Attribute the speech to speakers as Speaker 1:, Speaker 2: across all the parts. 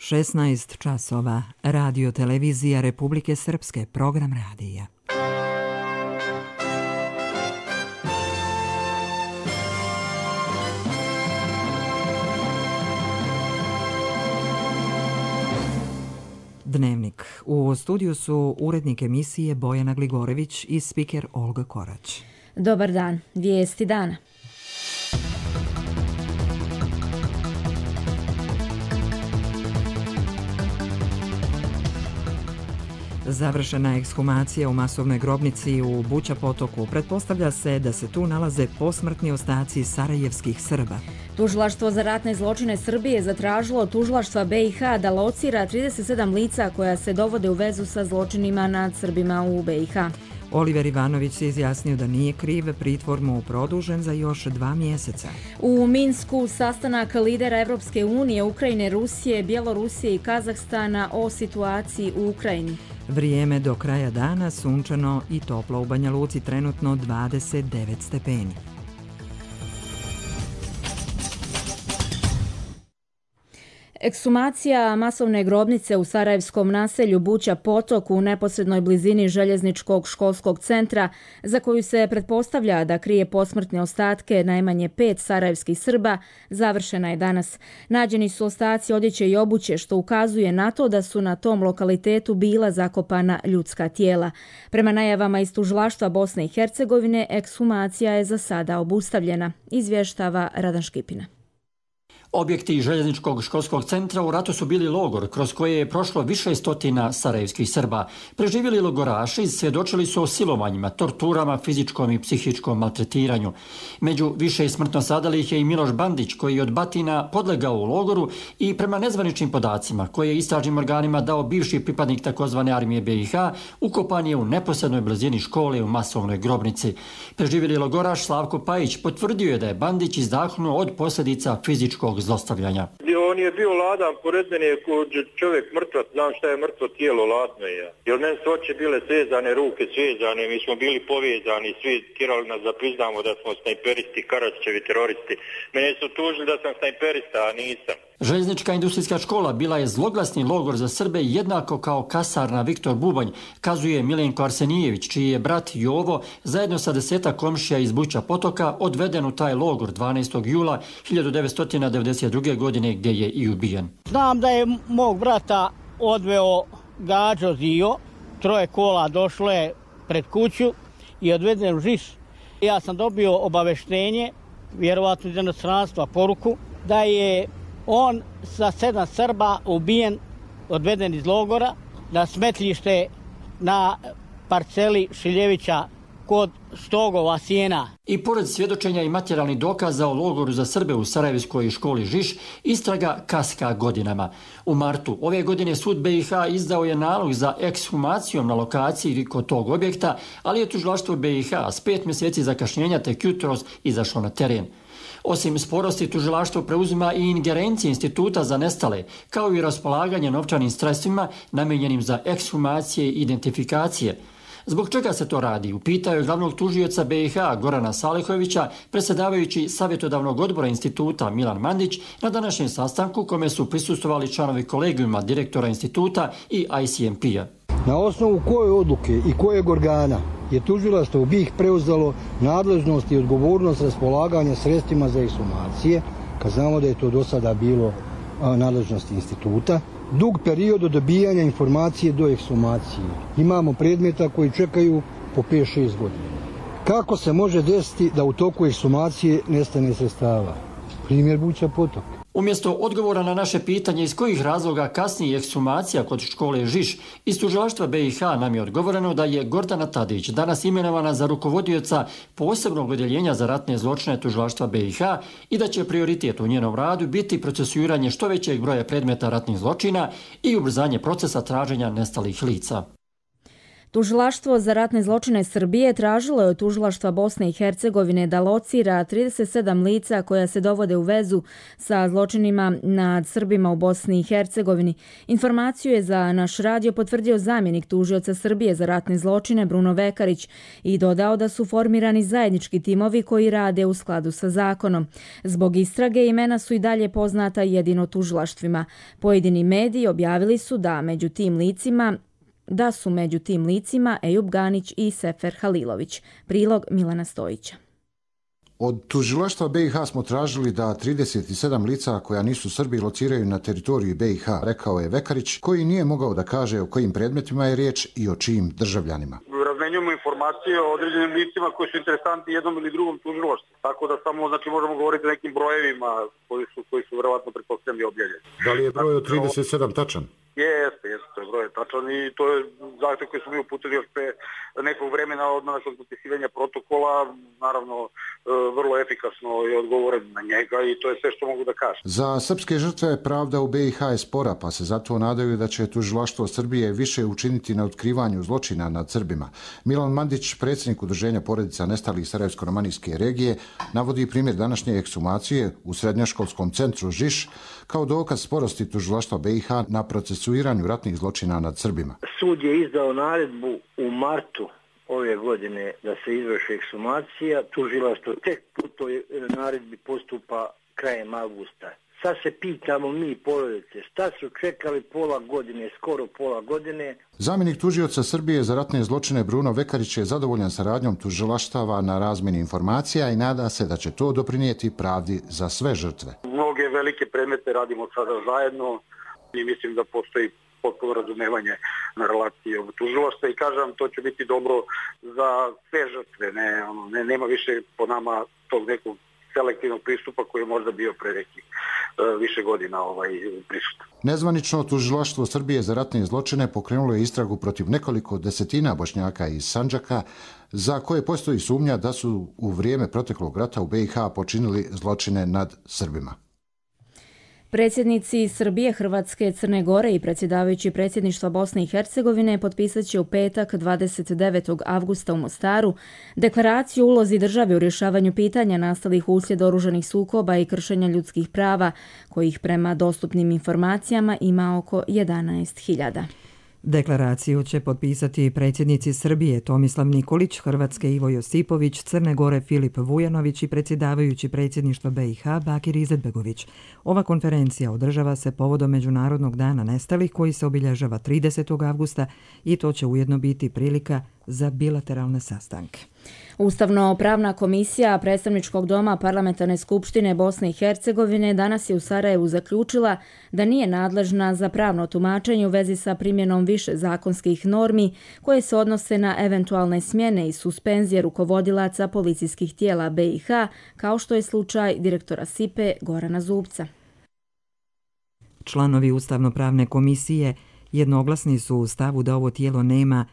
Speaker 1: 16 časova, Radio televizija Republike Srpske, program radija. Dnevnik. U studiju su urednik emisije Bojana Gligorević i spiker Olga Korać.
Speaker 2: Dobar dan, vijesti dana.
Speaker 1: Završena ekshumacija u masovnoj grobnici u Buća Potoku. Pretpostavlja se da se tu nalaze posmrtni ostaci sarajevskih Srba.
Speaker 2: Tužilaštvo za ratne zločine Srbije zatražilo od tužilaštva BiH da locira 37 lica koja se dovode u vezu sa zločinima nad Srbima u BiH.
Speaker 1: Oliver Ivanović se izjasnio da nije kriv, pritvor mu produžen za još 2 mjeseca.
Speaker 2: U Minsku sastanak lidera Evropske unije, Ukrajine, Rusije, Bjelorusije i Kazahstana o situaciji u Ukrajini.
Speaker 1: Vrijeme do kraja dana sunčano i toplo u Banja Luci, trenutno 29 stepeni.
Speaker 2: Ekshumacija masovne grobnice u sarajevskom naselju Buća Potok u neposrednoj blizini željezničkog školskog centra, za koju se pretpostavlja da krije posmrtne ostatke najmanje 5 sarajevskih Srba, završena je danas. Nađeni su ostaci odjeće i obuće, što ukazuje na to da su na tom lokalitetu bila zakopana ljudska tijela. Prema najavama iz tužilaštva Bosne i Hercegovine, ekshumacija je za sada obustavljena, izvještava Radan Škipina.
Speaker 3: Objekti željezničkog školskog centra u ratu su bili logor kroz koje je prošlo više stotina sarajevskih Srba. Preživjeli logoraši svjedočili su o silovanjima, torturama, fizičkom i psihičkom maltretiranju. Među više smrtno stradalih je i Miloš Bandić, koji je od batina podlegao u logoru i prema nezvaničnim podacima koje je istražnim organima dao bivši pripadnik takozvane armije BiH, ukopan je u neposrednoj blizini škole u masovnoj grobnici. Preživjeli logoraš Slavko Pajić potvrdio je da je Bandić izdahnuo od posljedica fizičkog zlostavljanja.
Speaker 4: On je bio ladan, pored mene je čovjek mrtvac, znam šta je mrtvo tijelo, ladno je. Jer meni su oči bile svezane, ruke svezane, mi smo bili povezani, svi tjerali nas da priznamo da smo snajperisti, Karačićevi teroristi. Mene su tužili da sam snajperista, a nisam.
Speaker 3: Željeznička industrijska škola bila je zloglasni logor za Srbe jednako kao kasarna Viktor Bubanj, kazuje Milenko Arsenijević, čiji je brat Jovo zajedno sa 10 komšija iz Buća Potoka odveden u taj logor 12. jula 1992. godine gdje je i ubijen.
Speaker 5: Znam da je mog brata odveo Gađo Zio, 3 kola došlo je pred kuću i odveden u Žiš. Ja sam dobio obaveštenje, vjerovatno iz inostranstva, poruku, da je on sa 7 Srba ubijen, odveden iz logora na smetlište na parceli Šiljevića kod Stogova sjena.
Speaker 3: I pored svjedočenja i materijalnih dokaza o logoru za Srbe u Sarajevskoj školi Žiš, istraga kaska godinama. U martu ove godine sud BiH izdao je nalog za ekshumacijom na lokaciji kod tog objekta, ali je tužilaštvo BiH s 5 mjeseci zakašnjenja tek jutros izašlo na teren. Osim sporosti, tužilaštvo preuzima i ingerencije instituta za nestale, kao i raspolaganje novčanim sredstvima namijenjenim za ekshumacije i identifikacije. Zbog čega se to radi? Upitao je glavnog tužioca BiH Gorana Salihovića, predsjedavajući savjetodavnog odbora instituta Milan Mandić, na današnjem sastanku kome su prisustvovali članovi kolegijuma direktora instituta i ICMP-a.
Speaker 6: Na osnovu koje odluke i kojeg organa je tužilaštvo u BiH preuzelo nadležnost i odgovornost raspolaganja sredstvima za ekshumacije, kad znamo da je to do sada bilo nadležnost instituta, dug period od dobijanja informacije do ekshumacije. Imamo predmeta koji čekaju po 5-6 godina. Kako se može desiti da u toku ekshumacije nestane sredstava? Primjer Buća Potok.
Speaker 3: Umjesto odgovora na naše pitanje iz kojih razloga kasnije ekshumacija kod škole Žiš, iz tužilaštva BiH nam je odgovoreno da je Gordana Tadić danas imenovana za rukovodioca posebnog odjeljenja za ratne zločine tužilaštva BiH i da će prioritet u njenom radu biti procesuiranje što većeg broja predmeta ratnih zločina i ubrzanje procesa traženja nestalih lica.
Speaker 2: Tužilaštvo za ratne zločine Srbije tražilo je od tužilaštva Bosne i Hercegovine da locira 37 lica koja se dovode u vezu sa zločinima nad Srbima u Bosni i Hercegovini. Informaciju je za naš radio potvrdio zamjenik tužioca Srbije za ratne zločine Bruno Vekarić i dodao da su formirani zajednički timovi koji rade u skladu sa zakonom. Zbog istrage imena su i dalje poznata jedino tužilaštvima. Pojedini mediji objavili su da su među tim licima Ejub Ganić i Sefer Halilović. Prilog Milana Stojića.
Speaker 7: Od tužilaštva BiH smo tražili da 37 lica koja nisu Srbi lociraju na teritoriju BiH, rekao je Vekarić, koji nije mogao da kaže o kojim predmetima je riječ i o čijim državljanima.
Speaker 8: Razmenjujemo informacije o određenim licima koji su interesantni jednom ili drugom tužilaštvu. Tako da samo možemo govoriti o nekim brojevima koji su verovatno pretpostavljeni objavljeni.
Speaker 7: Da li je broj od 37 tačan?
Speaker 8: Jeste, to je broj tačan i to je zahtjev koji smo mi uputili još pre nekog vremena odmah nakon potpisivanja protokola, naravno vrlo efikasno je odgovoren na njega i to je sve što mogu da kažem.
Speaker 7: Za srpske žrtve pravda u BiH je spora, pa se zato nadaju da će tužilaštvo Srbije više učiniti na otkrivanju zločina nad Srbima. Milan Mandić, predsjednik Udruženja porodica nestalih Sarajevsko-romanijske regije, navodi primjer današnje ekshumacije u srednjoškolskom centru Žiš kao dokaz sporosti tužilaštva BiH na procesuiranju ratnih zločina nad Srbima.
Speaker 9: Sud je izdao naredbu u martu ove godine da se izvrši ekshumacija. Tužilaštvo tek po toj naredbi postupa krajem avgusta. Sad se pitamo mi porodice, šta su čekali pola godine, skoro pola godine.
Speaker 7: Zamjenik tužioca Srbije za ratne zločine Bruno Vekarić je zadovoljan saradnjom tužilaštava na razmjeni informacija i nada se da će to doprinijeti pravdi za sve žrtve.
Speaker 8: Mnoge velike predmete radimo sada zajedno i mislim da postoji potpuno razumevanje na relaciji ovog tužilaštva i kažem, to će biti dobro za sve žrtve. Nema više po nama tog nekog selektivnog pristupa koji je možda bio pre nekih više godina prisutan.
Speaker 7: Nezvanično tužilaštvo Srbije za ratne zločine pokrenulo je istragu protiv nekoliko desetina Bošnjaka iz Sandžaka za koje postoji sumnja da su u vrijeme proteklog rata u BiH počinili zločine nad Srbima.
Speaker 2: Predsjednici Srbije, Hrvatske, Crne Gore i predsjedavajući predsjedništva Bosne i Hercegovine potpisat će u petak 29. avgusta u Mostaru deklaraciju o ulozi države u rješavanju pitanja nastalih uslijed oružanih sukoba i kršenja ljudskih prava, kojih prema dostupnim informacijama ima oko 11.000.
Speaker 1: Deklaraciju će potpisati predsjednici Srbije Tomislav Nikolić, Hrvatske Ivo Josipović, Crne Gore Filip Vujanović i predsjedavajući predsjedništva BiH Bakir Izetbegović. Ova konferencija održava se povodom Međunarodnog dana nestalih koji se obilježava 30. avgusta i to će ujedno biti prilika za bilateralne sastanke.
Speaker 2: Ustavno-pravna komisija Predstavničkog doma Parlamentarne skupštine Bosne i Hercegovine danas je u Sarajevu zaključila da nije nadležna za pravno tumačenje u vezi sa primjenom više zakonskih normi koje se odnose na eventualne smjene i suspenzije rukovodilaca policijskih tijela BiH, kao što je slučaj direktora SIPE Gorana Zubca.
Speaker 1: Članovi Ustavno-pravne komisije jednoglasni su u stavu da ovo tijelo nema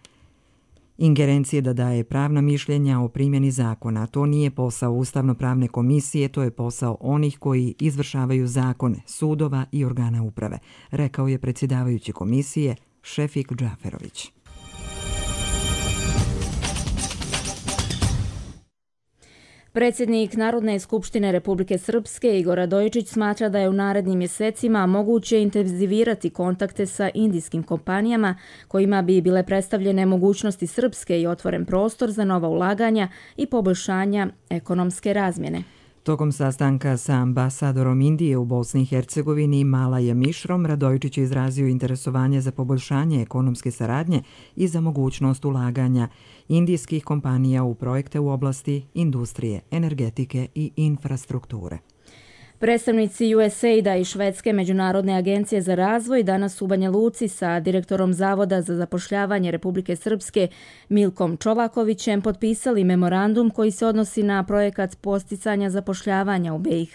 Speaker 1: ingerencije da daje pravna mišljenja o primjeni zakona. To nije posao Ustavno-pravne komisije, to je posao onih koji izvršavaju zakone, sudova i organa uprave, rekao je predsjedavajući komisije Šefik Džaferović.
Speaker 2: Predsjednik Narodne skupštine Republike Srpske Igor Radojičić smatra da je u narednim mjesecima moguće intenzivirati kontakte sa indijskim kompanijama kojima bi bile predstavljene mogućnosti Srpske i otvoren prostor za nova ulaganja i poboljšanja ekonomske razmjene.
Speaker 1: Tokom sastanka sa ambasadorom Indije u Bosni i Hercegovini Malajem Mišrom, Radojičić je izrazio interesovanje za poboljšanje ekonomske saradnje i za mogućnost ulaganja indijskih kompanija u projekte u oblasti industrije, energetike i infrastrukture.
Speaker 2: Predstavnici USAID-a i Švedske međunarodne agencije za razvoj danas u Banja Luci sa direktorom Zavoda za zapošljavanje Republike Srpske Milkom Čolakovićem potpisali memorandum koji se odnosi na projekat posticanja zapošljavanja u BiH.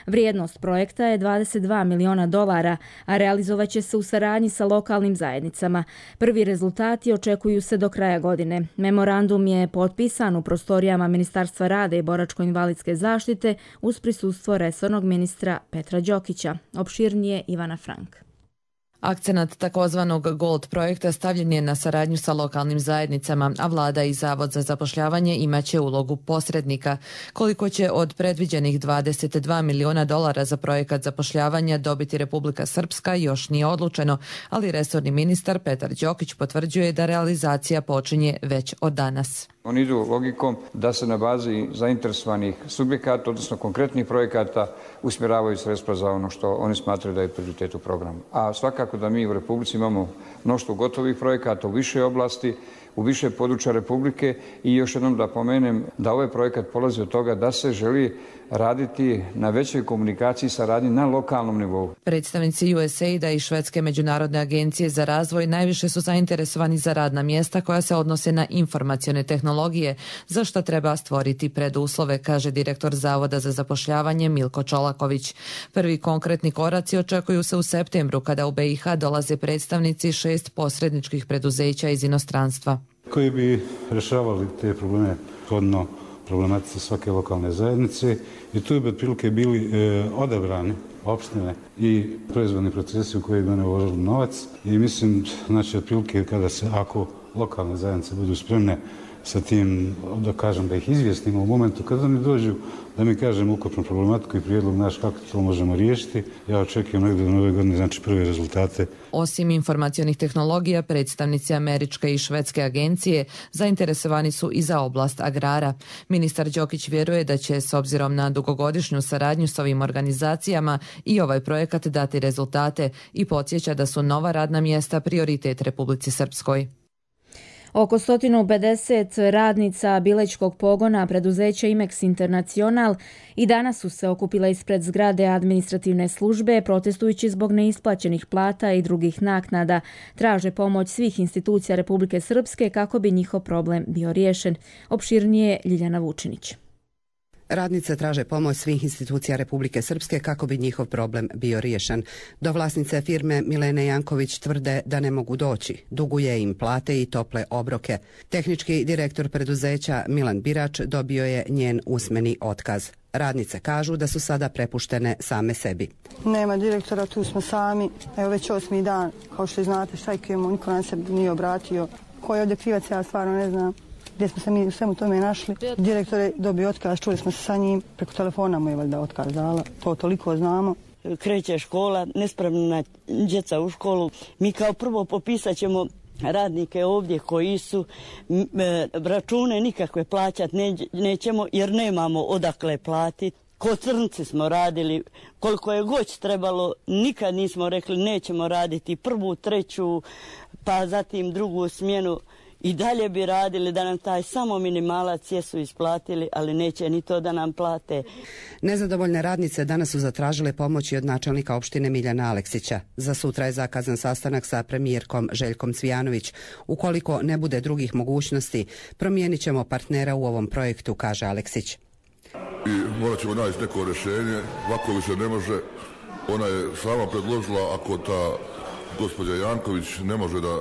Speaker 2: Vrijednost projekta je $22 miliona, a realizovat će se u saradnji sa lokalnim zajednicama. Prvi rezultati očekuju se do kraja godine. Memorandum je potpisan u prostorijama Ministarstva rada i boračko-invalidske zaštite uz prisustvo resornog ministra Petra Đokića. Opširnije Ivana Frank.
Speaker 10: Akcenat takozvanog Gold projekta stavljen je na saradnju sa lokalnim zajednicama, a vlada i Zavod za zapošljavanje imaće ulogu posrednika. Koliko će od predviđenih $22 miliona za projekat zapošljavanja dobiti Republika Srpska još nije odlučeno, ali resorni ministar Petar Đokić potvrđuje da realizacija počinje već od danas.
Speaker 11: Oni idu logikom da se na bazi zainteresovanih subjekata, odnosno konkretnih projekata, usmjeravaju sredstva za ono što oni smatraju da je prioritet u programu. A svakako da mi u Republici imamo mnoštvo gotovih projekata u više oblasti, u više područja Republike i još jednom da pomenem da ovaj projekat polazi od toga da se želi raditi na većoj komunikaciji i saradnji na lokalnom nivou.
Speaker 10: Predstavnici USAID-a i Švedske međunarodne agencije za razvoj najviše su zainteresovani za radna mjesta koja se odnose na informacione tehnologije, za što treba stvoriti preduslove, kaže direktor Zavoda za zapošljavanje Milko Čolaković. Prvi konkretni koraci očekuju se u septembru, kada u BiH dolaze predstavnici 6 posredničkih preduzeća iz inostranstva.
Speaker 12: Koji bi rješavali te probleme shodno problematici svake lokalne zajednice i tu bi otprilike bili odabrani opštine i proizvodni procesi u koje bi one uložili novac i mislim, znači otprilike ako lokalne zajednice budu spremne sa tim, da kažem, da ih izvijestimo u momentu kada oni dođu, da mi kažemo ukupnu problematiku i prijedlog naš kako to možemo riješiti. Ja očekujem negdje do nove godine, znači prve rezultate.
Speaker 10: Osim informacionih tehnologija, predstavnici američke i švedske agencije zainteresovani su i za oblast agrara. Ministar Đokić vjeruje da će, s obzirom na dugogodišnju saradnju s ovim organizacijama, i ovaj projekat dati rezultate i podsjeća da su nova radna mjesta prioritet Republici Srpskoj.
Speaker 2: Oko 150 radnica bilećkog pogona preduzeća Imex Internacional i danas su se okupile ispred zgrade administrativne službe protestujući zbog neisplaćenih plata i drugih naknada. Traže pomoć svih institucija Republike Srpske kako bi njihov problem bio riješen. Opširnije Ljiljana Vučinić.
Speaker 13: Radnice traže pomoć svih institucija Republike Srpske kako bi njihov problem bio riješen. Do vlasnice firme Milene Janković tvrde da ne mogu doći. Duguje im plate i tople obroke. Tehnički direktor preduzeća Milan Birač dobio je njen usmeni otkaz. Radnice kažu da su sada prepuštene same sebi.
Speaker 14: Nema direktora, tu smo sami. Evo već 8. dan, kao što znate, štrajkujemo, niko nam se nije obratio. Ko je ovdje krivac, ja stvarno ne znam. Gdje smo se mi u svemu tome našli. Direktor je dobio otkaz, čuli smo se sa njim, preko telefona mu je valjda otkaz dala, to toliko znamo.
Speaker 15: Kreće škola, nespremna djeca u školu. Mi kao prvo popisat ćemo radnike ovdje koji su račune nikakve plaćati nećemo jer nemamo odakle platiti. Ko crnci smo radili, koliko je goć trebalo, nikad nismo rekli nećemo raditi prvu, treću, pa zatim drugu smjenu. I dalje bi radili da nam taj samo minimalac jesu isplatili, ali neće ni to da nam plate.
Speaker 13: Nezadovoljne radnice danas su zatražile pomoći od načelnika opštine Miljana Aleksića. Za sutra je zakazan sastanak sa premijerkom Željkom Cvijanović. Ukoliko ne bude drugih mogućnosti, promijenit ćemo partnera u ovom projektu, kaže Aleksić.
Speaker 16: I morat ćemo naći neko rješenje, ovako više ne može. Ona je sama predložila, ako ta gospođa Janković ne može da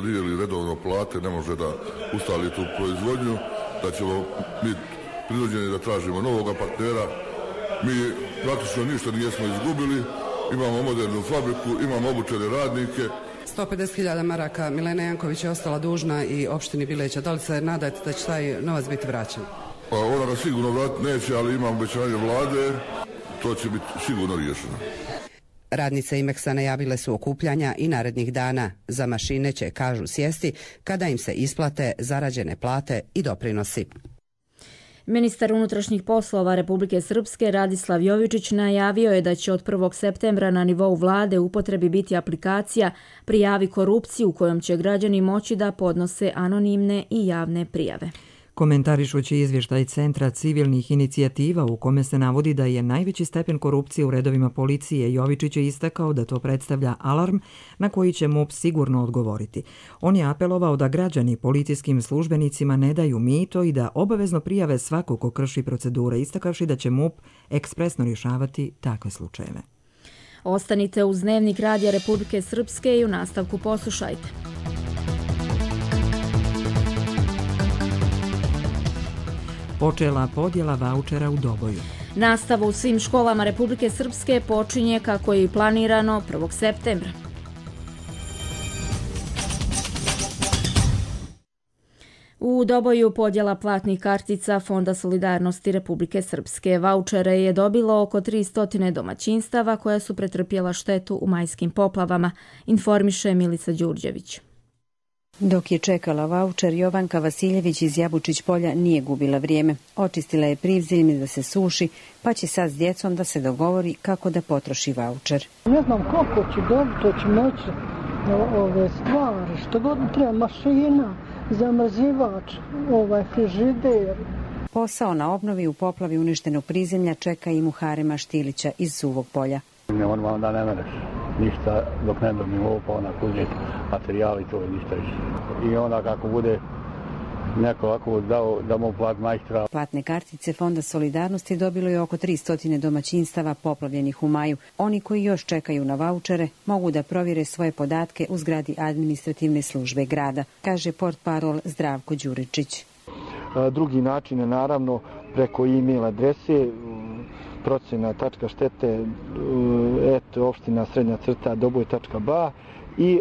Speaker 16: dijeli redovno plate, ne može da ustali tu proizvodnju, da ćemo mi prinuđeni da tražimo novoga partnera. Mi praktično ništa nismo izgubili, imamo modernu fabriku, imamo obučene radnike.
Speaker 13: 150.000 maraka Milena Janković je ostala dužna i opštini Bileća. Da li se nadate da će taj novac biti vraćan?
Speaker 16: Ona ga sigurno vratiti neće, ali imam obećanje vlade, to će biti sigurno riješeno.
Speaker 13: Radnice Imexa najavile su okupljanja i narednih dana. Za mašine će, kažu, sjesti kada im se isplate zarađene plate i doprinosi.
Speaker 2: Ministar unutrašnjih poslova Republike Srpske Radislav Jovičić najavio je da će od 1. septembra na nivou vlade u upotrebi biti aplikacija Prijavi korupciju kojom će građani moći da podnose anonimne i javne prijave.
Speaker 1: Komentarišući izvještaj Centra civilnih inicijativa u kome se navodi da je najveći stepen korupcije u redovima policije, Jovičić je istakao da to predstavlja alarm na koji će MUP sigurno odgovoriti. On je apelovao da građani policijskim službenicima ne daju mito i da obavezno prijave svako ko krši procedure, istakavši da će MUP ekspresno rješavati takve slučajeve.
Speaker 2: Ostanite uz Dnevnik Radija Republike Srpske i u nastavku poslušajte.
Speaker 1: Počela podjela vaučera u Doboju.
Speaker 2: Nastava u svim školama Republike Srpske počinje kako je i planirano 1. septembra. U Doboju podjela platnih kartica Fonda solidarnosti Republike Srpske. Vaučere je dobilo oko 300 domaćinstava koja su pretrpjela štetu u majskim poplavama, informiše Milica Đurđević.
Speaker 17: Dok je čekala vaučer, Jovanka Vasiljević iz Jabučić polja nije gubila vrijeme. Očistila je privziljme da se suši, pa će sad s djecom da se dogovori kako da potroši vaučer.
Speaker 14: Ne znam koliko ću dobiti, to ću moći ove stvari, što god treba, mašina, zamrzivač, frižider.
Speaker 17: Posao na obnovi u poplavi uništenog prizemlja čeka i Muharema Štilića iz Suvog polja.
Speaker 18: Normalno da ne mereš ništa dok ne dobim ovo, pa onak uzeti materijali, to je ništa više. I onda kako bude neko ovako dao da mu plat majstra.
Speaker 17: Platne kartice Fonda solidarnosti dobilo je oko 300 domaćinstava poplavljenih u maju. Oni koji još čekaju na vaučere mogu da provjere svoje podatke u zgradi administrativne službe grada, kaže portparol Zdravko Đuričić.
Speaker 19: Drugi način je naravno preko e-mail adrese procena.štete opština _Doboj.ba i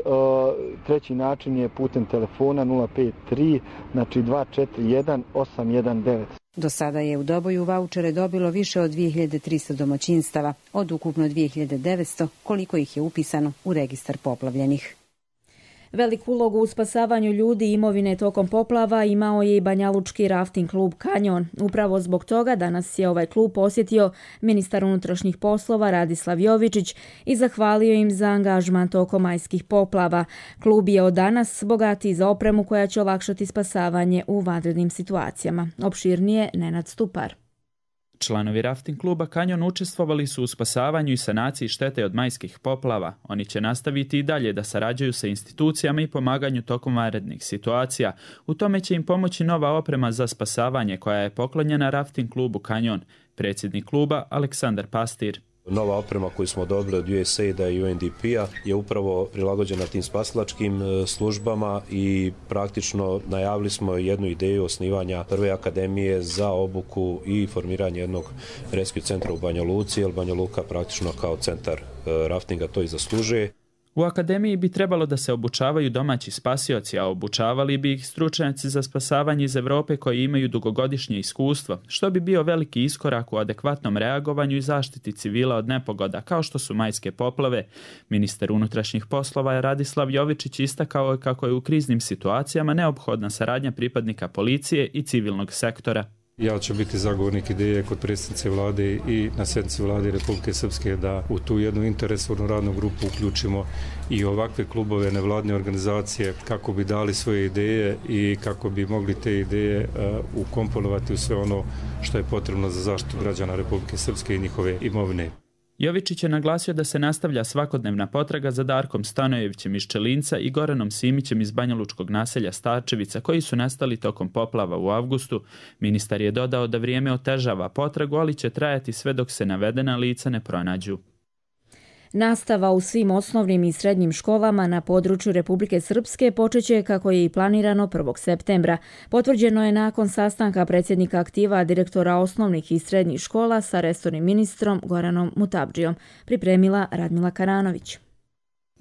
Speaker 19: treći način je putem telefona 053 241 819.
Speaker 17: Do sada je u Doboju vaučere dobilo više od 2300 domaćinstava, od ukupno 2900 koliko ih je upisano u registar poplavljenih.
Speaker 2: Veliku ulogu u spasavanju ljudi i imovine tokom poplava imao je i banjalučki rafting klub Kanjon. Upravo zbog toga danas je ovaj klub posjetio ministar unutrašnjih poslova Radislav Jovičić i zahvalio im za angažman tokom majskih poplava. Klub je od danas bogatiji za opremu koja će olakšati spasavanje u vanrednim situacijama. Opširnije Nenad Stupar.
Speaker 20: Članovi rafting kluba Kanjon učestvovali su u spasavanju i sanaciji štete od majskih poplava. Oni će nastaviti i dalje da sarađuju sa institucijama i pomaganju tokom vanrednih situacija. U tome će im pomoći nova oprema za spasavanje koja je poklonjena rafting klubu Kanjon. Predsjednik kluba Aleksandar Pastir.
Speaker 21: Nova oprema koju smo dobili od USAID-a i UNDP-a je upravo prilagođena tim spasilačkim službama i praktično najavili smo jednu ideju osnivanja prve akademije za obuku i formiranje jednog rescue centra u Banja Luci, jer Banja Luka praktično kao centar raftinga to i zaslužuje.
Speaker 20: U akademiji bi trebalo da se obučavaju domaći spasioci, a obučavali bi ih stručnjaci za spasavanje iz Evrope koji imaju dugogodišnje iskustvo, što bi bio veliki iskorak u adekvatnom reagovanju i zaštiti civila od nepogoda, kao što su majske poplave. Ministar unutrašnjih poslova Radislav Jovičić istakao je kako je u kriznim situacijama neophodna saradnja pripadnika policije i civilnog sektora.
Speaker 22: Ja ću biti zagovornik ideje kod predsjednice vlade i na sjednici vlade Republike Srpske da u tu jednu interesovnu radnu grupu uključimo i ovakve klubove, nevladne organizacije kako bi dali svoje ideje i kako bi mogli te ideje ukomponovati u sve ono što je potrebno za zaštitu građana Republike Srpske i njihove imovine.
Speaker 20: Jovičić je naglasio da se nastavlja svakodnevna potraga za Darkom Stanojevićem iz Čelinca i Goranom Simićem iz banjalučkog naselja Starčevica koji su nestali tokom poplava u avgustu. Ministar je dodao da vrijeme otežava potragu, ali će trajati sve dok se navedena lica ne pronađu.
Speaker 2: Nastava u svim osnovnim i srednjim školama na području Republike Srpske počeće kako je i planirano 1. septembra. Potvrđeno je nakon sastanka predsjednika aktiva direktora osnovnih i srednjih škola sa resornim ministrom Goranom Mutabdžijom. Pripremila Radmila Karanović.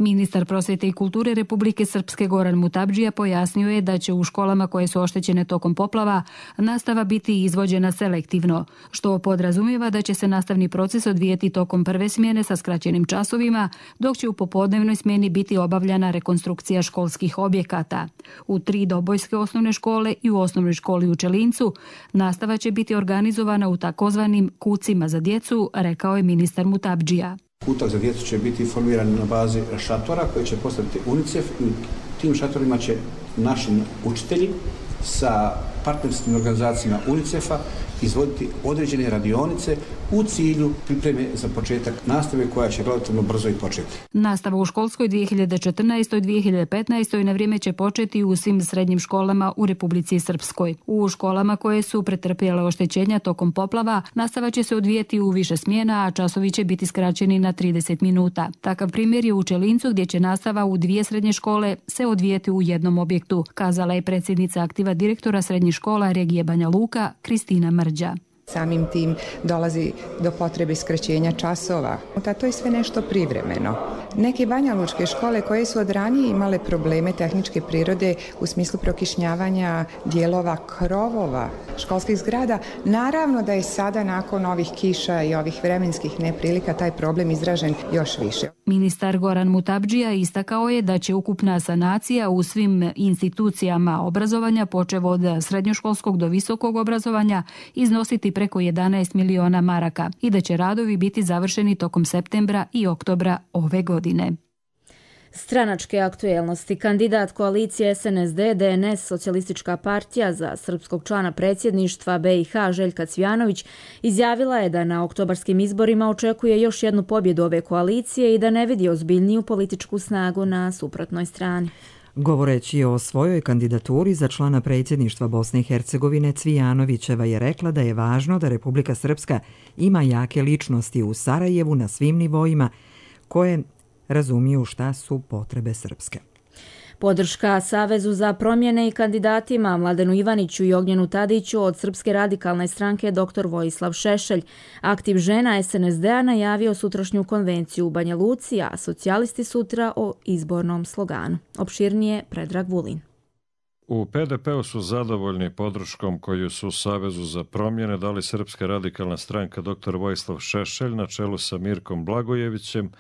Speaker 23: Ministar prosvjete i kulture Republike Srpske Goran Mutabdžija pojasnio je da će u školama koje su oštećene tokom poplava nastava biti izvođena selektivno, što podrazumijeva da će se nastavni proces odvijeti tokom prve smjene sa skraćenim časovima, dok će u popodnevnoj smjeni biti obavljana rekonstrukcija školskih objekata. U 3 dobojske osnovne škole i u osnovnoj školi u Čelincu nastava će biti organizovana u takozvanim kucima za djecu, rekao je ministar Mutabdžija.
Speaker 24: Kutak za djecu će biti formiran na bazi šatora koje će postaviti UNICEF i tim šatorima će naši učitelji sa partnerskim organizacijama UNICEF-a izvoditi određene radionice u cilju pripreme za početak nastave koja će relativno brzo i početi.
Speaker 23: Nastava u školskoj 2014-2015 na vrijeme će početi u svim srednjim školama u Republici Srpskoj. U školama koje su pretrpjele oštećenja tokom poplava nastava će se odvijeti u više smjena, a časovi će biti skraćeni na 30 minuta. Takav primjer je u Čelincu gdje će nastava u 2 srednje škole se odvijeti u jednom objektu, kazala je predsjednica aktiva direktora srednjih škola regije Banja Luka Kristina Mrđa.
Speaker 3: Samim tim dolazi do potrebe skraćenja časova. To je sve nešto privremeno. Neke banjalučke škole koje su od ranije imale probleme tehničke prirode u smislu prokišnjavanja dijelova krovova školskih zgrada, naravno da je sada nakon ovih kiša i ovih vremenskih neprilika taj problem izražen još više.
Speaker 23: Ministar Goran Mutabdžija istakao je da će ukupna sanacija u svim institucijama obrazovanja, počev od srednjoškolskog do visokog obrazovanja, iznositi preko 11 miliona maraka i da će radovi biti završeni tokom septembra i oktobra ove godine.
Speaker 2: Stranačke aktuelnosti. Kandidat koalicije SNSD-DNS Socijalistička partija za srpskog člana predsjedništva BiH Željka Cvijanović izjavila je da na oktobarskim izborima očekuje još jednu pobjedu ove koalicije i da ne vidi ozbiljniju političku snagu na suprotnoj strani.
Speaker 1: Govoreći o svojoj kandidaturi za člana predsjedništva Bosne i Hercegovine, Cvijanovićeva je rekla da je važno da Republika Srpska ima jake ličnosti u Sarajevu na svim nivoima koje razumiju šta su potrebe Srpske.
Speaker 2: Podrška Savezu za promjene i kandidatima Mladenu Ivaniću i Ognjenu Tadiću od Srpske radikalne stranke dr. Vojislav Šešelj. Aktiv žena SNSD-a najavio sutrašnju konvenciju u Banja Luci, a socijalisti sutra o izbornom sloganu. Opširnije Predrag Vulin.
Speaker 4: U PDP-u su zadovoljni podrškom koju su Savezu za promjene dali Srpska radikalna stranka dr. Vojislav Šešelj na čelu sa Mirkom Blagojevićem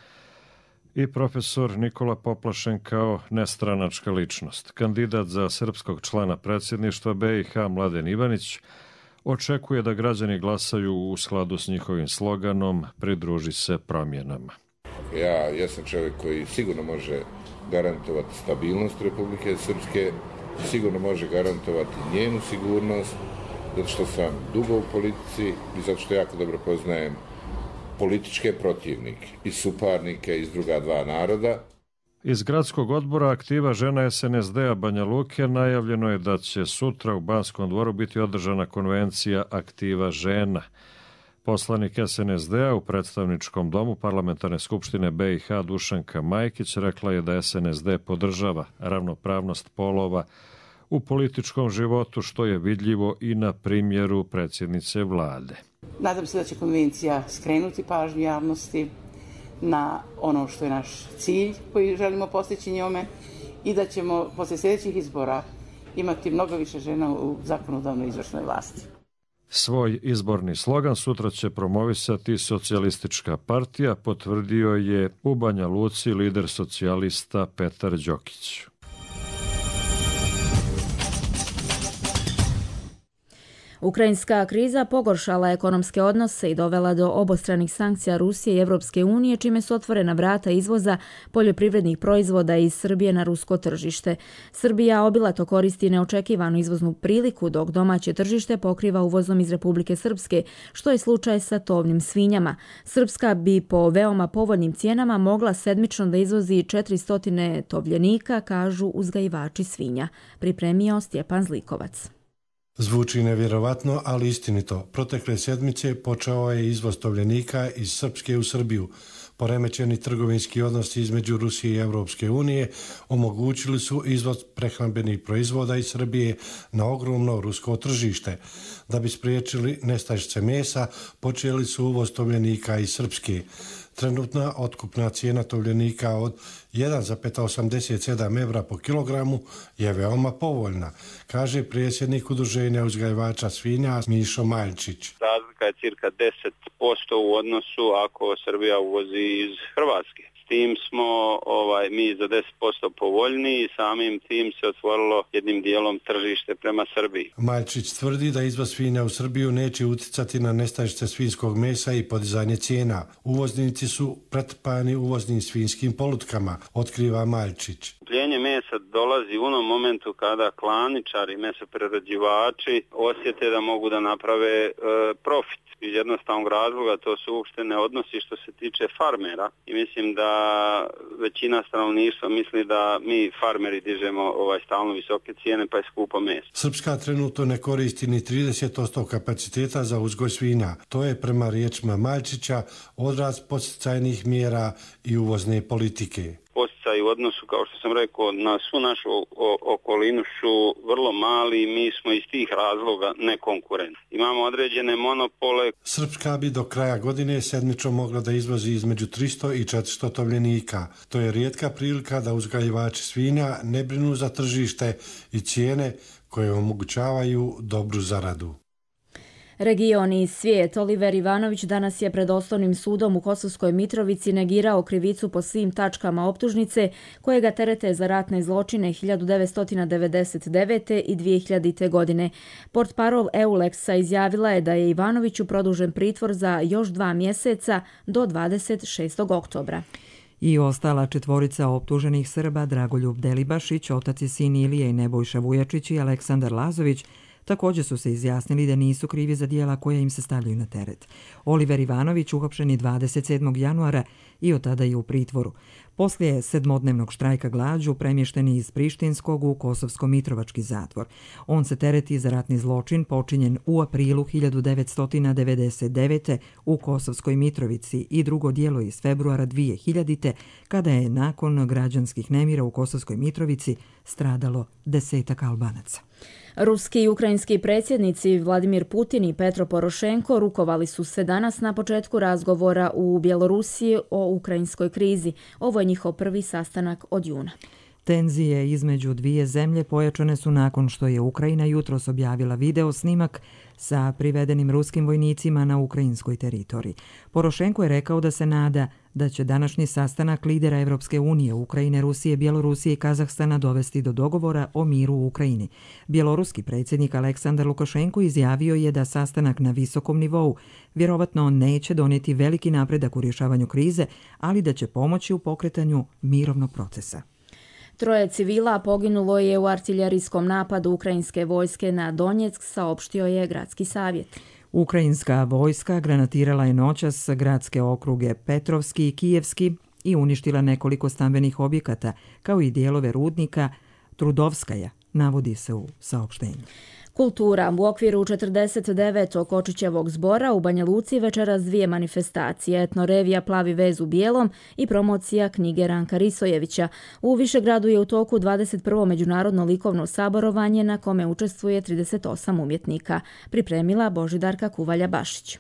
Speaker 4: i profesor Nikola Poplašen kao nestranačka ličnost. Kandidat za srpskog člana predsjedništva BiH Mladen Ivanić očekuje da građani glasaju u skladu s njihovim sloganom "Pridruži se promjenama".
Speaker 5: Ja sam čovjek koji sigurno može garantovati stabilnost Republike Srpske, sigurno može garantovati njenu sigurnost, zato što sam dugo u politici i zato što jako dobro poznajem političke protivnike i suparnike iz druga dva naroda.
Speaker 4: Iz gradskog odbora aktiva žena SNSD-a Banja Luke najavljeno je da će sutra u Banskom dvoru biti održana konvencija aktiva žena. Poslanik SNSD-a u predstavničkom domu Parlamentarne skupštine BiH Dušanka Majkić rekla je da SNSD podržava ravnopravnost polova u političkom životu, što je vidljivo i na primjeru predsjednice vlade.
Speaker 6: Nadam se da će konvencija skrenuti pažnju javnosti na ono što je naš cilj koji želimo postići njome i da ćemo posle sljedećih izbora imati mnogo više žena u zakonodavnoj izvršnoj vlasti.
Speaker 4: Svoj izborni slogan sutra će promovisati Socijalistička partija, potvrdio je u Banja Luci lider socijalista Petar Đokić.
Speaker 2: Ukrajinska kriza pogoršala ekonomske odnose i dovela do obostranih sankcija Rusije i Evropske unije, čime su otvorena vrata izvoza poljoprivrednih proizvoda iz Srbije na rusko tržište. Srbija obilato koristi neočekivanu izvoznu priliku, dok domaće tržište pokriva uvozom iz Republike Srpske, što je slučaj sa tovnim svinjama. Srpska bi po veoma povoljnim cijenama mogla sedmično da izvozi 400 tovljenika, kažu uzgajivači svinja. Pripremio Stjepan Zlikovac.
Speaker 25: Zvuči nevjerovatno, ali istinito. Protekle sedmice počeo je izvoz tovljenika iz Srpske u Srbiju. Poremećeni trgovinski odnosi između Rusije i Evropske unije omogućili su izvoz prehrambenih proizvoda iz Srbije na ogromno rusko tržište. Da bi spriječili nestašice mesa, počeli su uvoz tovljenika iz Srpske. Trenutna otkupna cijena tovljenika od 1,87 evra po kilogramu je veoma povoljna, kaže predsjednik Udruženja uzgajivača svinja Mišo Maljčić.
Speaker 26: Razlika je cirka 10% u odnosu ako Srbija uvozi iz Hrvatske. S tim smo mi za 10% povoljniji i samim tim se otvorilo jednim dijelom tržište prema Srbiji.
Speaker 25: Maljčić tvrdi da izvoz svinja u Srbiju neće uticati na nestašice svinjskog mesa i podizanje cijena. Uvoznici su pretrpani uvoznim svinjskim polutkama, otkriva Maljčić.
Speaker 26: Skupljenje mesa dolazi u onom momentu kada klaničari, mesoprerađivači osjete da mogu da naprave profit. Iz jednostavnog razloga to su uopšte ne odnosi što se tiče farmera i mislim da većina stanovništva misli da mi farmeri dižemo stalno visoke cijene pa je skupo meso.
Speaker 25: Srpska trenutno ne koristi ni 30% kapaciteta za uzgoj svinja. To je prema riječima Maljčića odraz podsticajnih mjera i uvozne politike.
Speaker 26: utjecaj u odnosu, kao što sam rekao, na svu našu okolinu su vrlo mali i mi smo iz tih razloga nekonkurentni. Imamo određene monopole.
Speaker 25: Srpska bi do kraja godine sedmično mogla da izvozi između 300 i 400 tovljenika. To je rijetka prilika da uzgajivači svinja ne brinu za tržište i cijene koje omogućavaju dobru zaradu.
Speaker 2: Region i svijet. Oliver Ivanović danas je pred Osnovnim sudom u Kosovskoj Mitrovici negirao krivicu po svim tačkama optužnice koje ga terete za ratne zločine 1999. i 2000. godine. Portparol Euleksa izjavila je da je Ivanoviću produžen pritvor za još 2 mjeseca do 26. oktobra.
Speaker 1: I ostala četvorica optuženih Srba, Dragoljub Delibašić, otac i sin Ilije i Nebojša Vujačić i Aleksandar Lazović, također su se izjasnili da nisu krivi za dijela koja im se stavljaju na teret. Oliver Ivanović uhapšen je 27. januara i od tada je u pritvoru. Poslije 7-dnevnog štrajka glađu premješten je iz Prištinskog u Kosovsko-Mitrovački zatvor. On se tereti za ratni zločin počinjen u aprilu 1999. u Kosovskoj Mitrovici i drugo djelo iz februara 2000. kada je nakon građanskih nemira u Kosovskoj Mitrovici stradalo 10 Albanaca.
Speaker 2: Ruski i ukrajinski predsjednici Vladimir Putin i Petro Porošenko rukovali su se danas na početku razgovora u Bjelorusiji o ukrajinskoj krizi. Ovo je njihov prvi sastanak od juna.
Speaker 1: Tenzije između dvije zemlje pojačane su nakon što je Ukrajina jutros objavila video snimak sa privedenim ruskim vojnicima na ukrajinskoj teritoriji. Porošenko je rekao da se nada da će današnji sastanak lidera Evropske unije, Ukrajine, Rusije, Bjelorusije i Kazahstana dovesti do dogovora o miru u Ukrajini. Bjeloruski predsjednik Aleksandar Lukašenko izjavio je da sastanak na visokom nivou vjerovatno neće donijeti veliki napredak u rješavanju krize, ali da će pomoći u pokretanju mirovnog procesa.
Speaker 2: 3 civila poginulo je u artiljerijskom napadu ukrajinske vojske na Donjeck, saopštio je gradski savjet.
Speaker 1: Ukrajinska vojska granatirala je noćas gradske okruge Petrovski i Kijevski i uništila nekoliko stambenih objekata, kao i dijelove rudnika Trudovskaja, navodi se u saopštenju.
Speaker 2: Kultura. U okviru 49. Kočićevog zbora u Banja Luci večeras 2 manifestacije, etnorevija Plavi vez u bijelom i promocija knjige Ranka Risojevića. U Višegradu je u toku 21. međunarodno likovno saborovanje na kome učestvuje 38 umjetnika. Pripremila Božidarka Kuvalja-Bašić.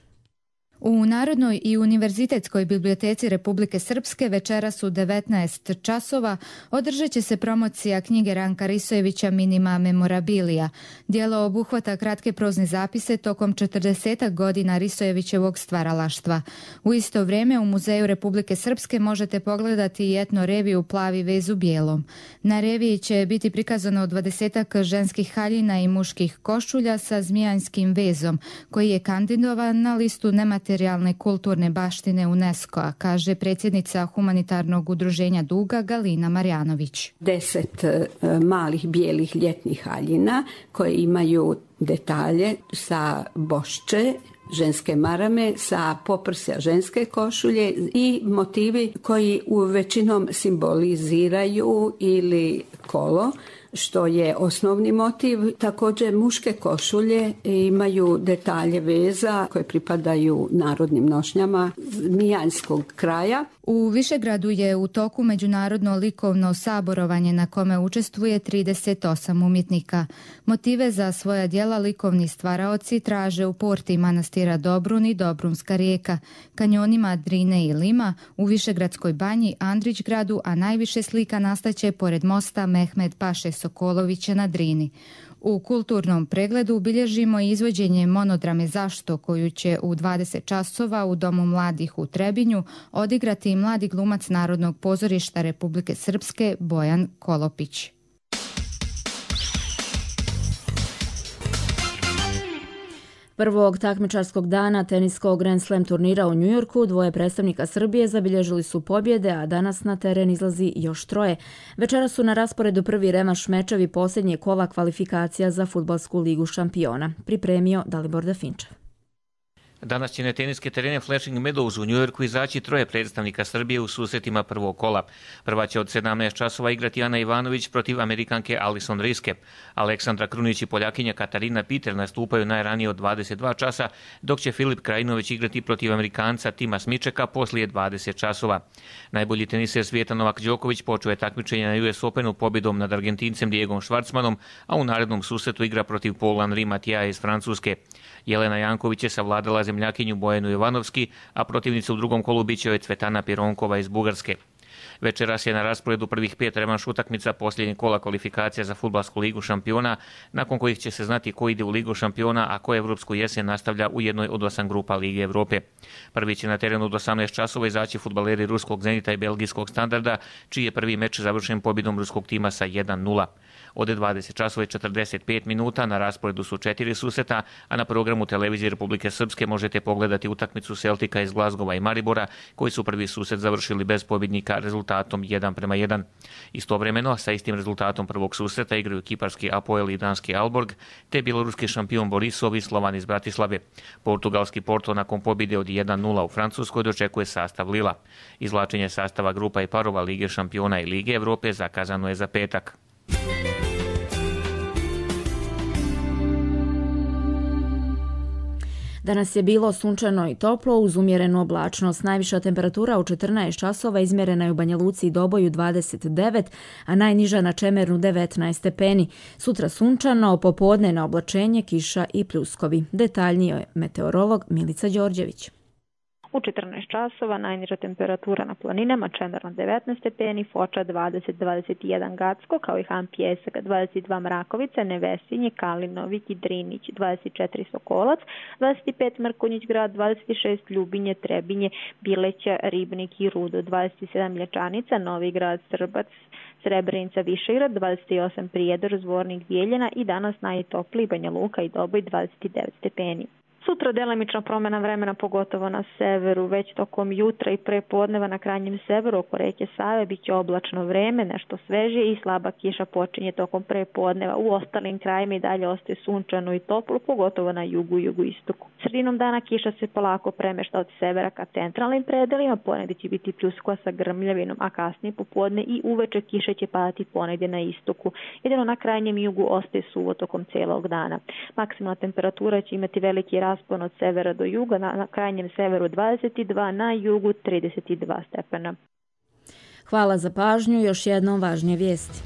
Speaker 7: U Narodnoj i Univerzitetskoj biblioteci Republike Srpske večeras u 19 časova održat će se promocija knjige Ranka Risojevića Minima memorabilia. Djelo obuhvata kratke prozne zapise tokom 40 godina Risojevićevog stvaralaštva. U isto vrijeme u Muzeju Republike Srpske možete pogledati i etno reviju Plavi vez u bijelom. Na reviji će biti prikazano 20 ženskih haljina i muških košulja sa zmijanskim vezom, koji je kandidovan na listu nematerijalne kulturne baštine UNESCO-a, kaže predsjednica humanitarnog udruženja Duga Galina Marjanović.
Speaker 8: 10 malih bijelih ljetnih haljina koje imaju detalje sa bošče, ženske marame, sa poprsja ženske košulje i motivi koji u većinom simboliziraju ili kolo, što je osnovni motiv. Također muške košulje imaju detalje veza koje pripadaju narodnim nošnjama zmijanskog kraja.
Speaker 7: U Višegradu je u toku međunarodno likovno saborovanje na kome učestvuje 38 umjetnika. Motive za svoja djela likovni stvaraoci traže u porti manastira Dobrun i Dobrunska rijeka, kanjonima Drine i Lima, u Višegradskoj banji, Andrićgradu, a najviše slika nastaće pored mosta Mehmed Paše Sokolovića na Drini. U kulturnom pregledu bilježimo izvođenje monodrame Zašto, koju će u 20 časova u Domu mladih u Trebinju odigrati mladi glumac Narodnog pozorišta Republike Srpske Bojan Kolopić.
Speaker 2: Prvog takmičarskog dana teniskog Grand Slam turnira u Njujorku 2 predstavnika Srbije zabilježili su pobjede, a danas na teren izlazi još 3. Večeras su na rasporedu prvi revanš mečevi posljednje kola kvalifikacija za Fudbalsku ligu šampiona. Pripremio Dalibor Dafinčev.
Speaker 9: Danas će na teniske terene Flushing Meadows u Njujorku izaći 3 predstavnika Srbije u susretima prvog kola. Prva će od 17 časova igrati Ana Ivanović protiv Amerikanke Alison Riske. Aleksandra Krunić i Poljakinja Katarina Peter nastupaju najranije od 22 časa, dok će Filip Krajinović igrati protiv Amerikanca Tima Smičeka poslije 20 časova. Najbolji teniser svijeta Novak Đoković počeo je takmičenje na US Openu pobjedom nad Argentincem Diegom Schwartzmanom, a u narednom susretu igra protiv Paul-Henri Matija iz Francuske. Jelena Janković je savladala zemljakinju Bojanu Jovanovski, a protivnica u drugom kolu biće joj Cvetana Pironkova iz Bugarske. Večeras je na rasporedu prvih 5 revanš utakmica posljednjeg kola kvalifikacija za Fudbalsku ligu šampiona, nakon kojih će se znati ko ide u ligu šampiona, a ko evropsku jesen nastavlja u jednoj od 8 grupa Lige Evrope. Prvi će na terenu od 18 časova izaći fudbaleri ruskog Zenita i belgijskog Standarda, čiji je prvi meč završen pobjedom ruskog tima sa 1:0. Od 20 časova i 45 minuta na rasporedu su 4 susreta, a na programu televizije Republike Srpske možete pogledati utakmicu Celtica iz Glazgova i Maribora, koji su prvi susret završili bez pobjednika rezultatom 1:1. Istovremeno, sa istim rezultatom prvog susreta igraju kiparski Apoel i danski Alborg, te bjeloruski šampion Borisov i Slovan iz Bratislave. Portugalski Porto nakon pobjede od 1:0 u Francuskoj dočekuje sastav Lila. Izvlačenje sastava grupa i parova Lige šampiona i Lige Evrope zakazano je za petak.
Speaker 2: Danas je bilo sunčano i toplo uz umjerenu oblačnost. Najviša temperatura u 14 časova izmjerena je u Banja Luci i Doboju 29, a najniža na Čemernu 19 stepeni. Sutra sunčano, popodne na oblačenje, kiša i pljuskovi. Detaljnije meteorolog Milica Đorđević.
Speaker 10: U 14 časova najniža temperatura na planinama Čemerna 19 stepeni, Foča 20-21 Gacko, kao i Han Pjesak 22 Mrakovica, Nevesinje, Kalinovik i Drinić 24 Sokolac, 25 Mrkonjić grad, 26 Ljubinje, Trebinje, Bileća, Ribnik i Rudo, 27 Mlječanica, Novi grad, Srbac, Srebrenica, Višegrad, 28 Prijedor, Zvornik, Bijeljina i danas najtopliji Banja Luka i Doboj 29 stepeni. Sutra delimična promjena vremena, pogotovo na severu, već tokom jutra i prepodneva na krajnjem severu oko reke Save bit će oblačno vreme, nešto svežije i slaba kiša počinje tokom prepodneva. U ostalim krajima i dalje ostaje sunčano i toplo, pogotovo na jugu i jugoistoku. Sredinom dana kiša se polako premešta od severa ka centralnim predelima, ponegdje će biti pljuskova sa grmljavinom, a kasnije popodne i uveče kiše će padati ponegdje na istoku. Jedino na krajnjem jugu ostaje suvo tokom cijelog dana. Maksimalna temperatura će imati veliki raspon od severa do juga, na krajnjem severu 22, na jugu 32 stepena.
Speaker 2: Hvala za pažnju, još jednom važnije vijesti.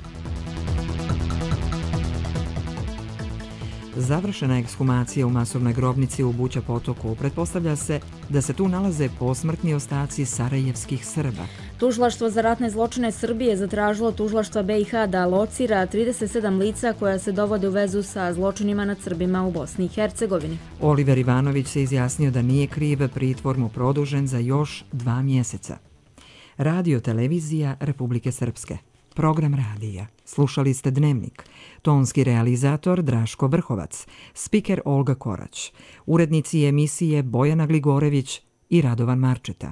Speaker 1: Završena ekshumacija u masovnoj grobnici u Buća Potoku. Pretpostavlja se da se tu nalaze posmrtni ostaci sarajevskih Srba.
Speaker 2: Tužilaštvo za ratne zločine Srbije zatražilo tužilaštva BiH da locira 37 lica koja se dovode u vezu sa zločinima nad Srbima u Bosni i Hercegovini.
Speaker 1: Oliver Ivanović se izjasnio da nije kriv, pritvor mu produžen za još 2 mjeseca. Radio televizija Republike Srpske. Program radija. Slušali ste Dnevnik. Tonski realizator Draško Vrhovac. Spiker Olga Korać. Urednici emisije Bojana Gligorević i Radovan Marčeta.